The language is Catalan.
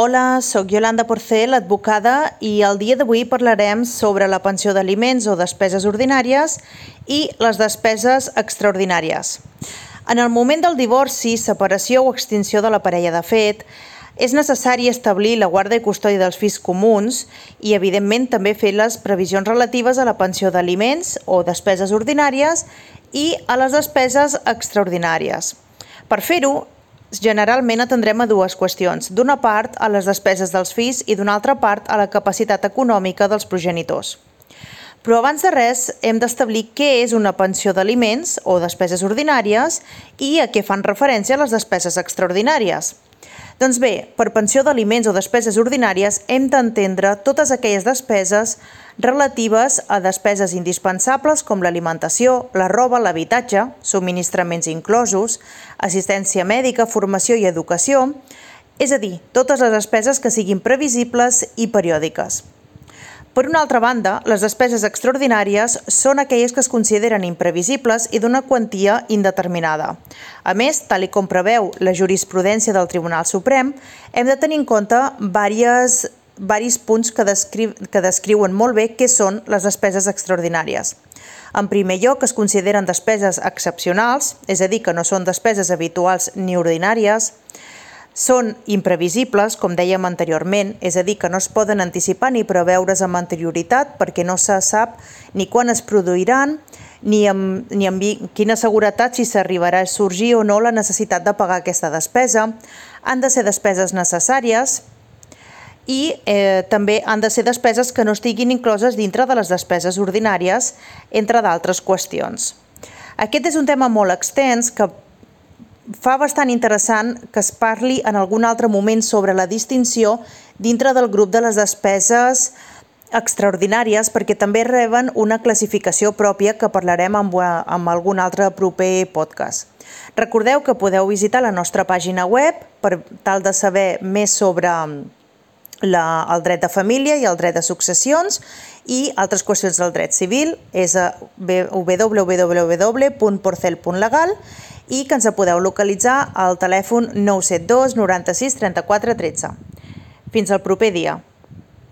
Hola, sóc Yolanda Porcel, advocada, i el dia d'avui parlarem sobre la pensió d'aliments o despeses ordinàries i les despeses extraordinàries. En el moment del divorci, separació o extinció de la parella de fet, és necessari establir la guarda i custòdia dels fills comuns i, evidentment, també fer les previsions relatives a la pensió d'aliments o despeses ordinàries i a les despeses extraordinàries. Per fer-ho, generalment atendrem a dues qüestions. D'una part, a les despeses dels fills i d'una altra part, a la capacitat econòmica dels progenitors. Però abans de res, hem d'establir què és una pensió d'aliments o despeses ordinàries i a què fan referència les despeses extraordinàries. Doncs bé, per pensió d'aliments o despeses ordinàries hem d'entendre totes aquelles despeses relatives a despeses indispensables com l'alimentació, la roba, l'habitatge, subministraments inclosos, assistència mèdica, formació i educació, és a dir, totes les despeses que siguin previsibles i periòdiques. Per una altra banda, les despeses extraordinàries són aquelles que es consideren imprevisibles i d'una quantia indeterminada. A més, tal com preveu la jurisprudència del Tribunal Suprem, hem de tenir en compte varis punts que descriuen molt bé què són les despeses extraordinàries. En primer lloc, es consideren despeses excepcionals, és a dir, que no són despeses habituals ni ordinàries. Són imprevisibles, com dèiem anteriorment, és a dir, que no es poden anticipar ni preveure's amb anterioritat perquè no se sap ni quan es produiran ni amb quina seguretat si s'arribarà a sorgir o no la necessitat de pagar aquesta despesa. Han de ser despeses necessàries i també han de ser despeses que no estiguin incloses dintre de les despeses ordinàries, entre d'altres qüestions. Aquest és un tema molt extens que fa bastant interessant que es parli en algun altre moment sobre la distinció dintre del grup de les despeses extraordinàries perquè també reben una classificació pròpia que parlarem en algun altre proper podcast. Recordeu que podeu visitar la nostra pàgina web per tal de saber més sobre el dret de família i el dret de successions i altres qüestions del dret civil. És a www.porcel.legal i que ens podeu localitzar al telèfon 972 96 34 13. Fins al proper dia.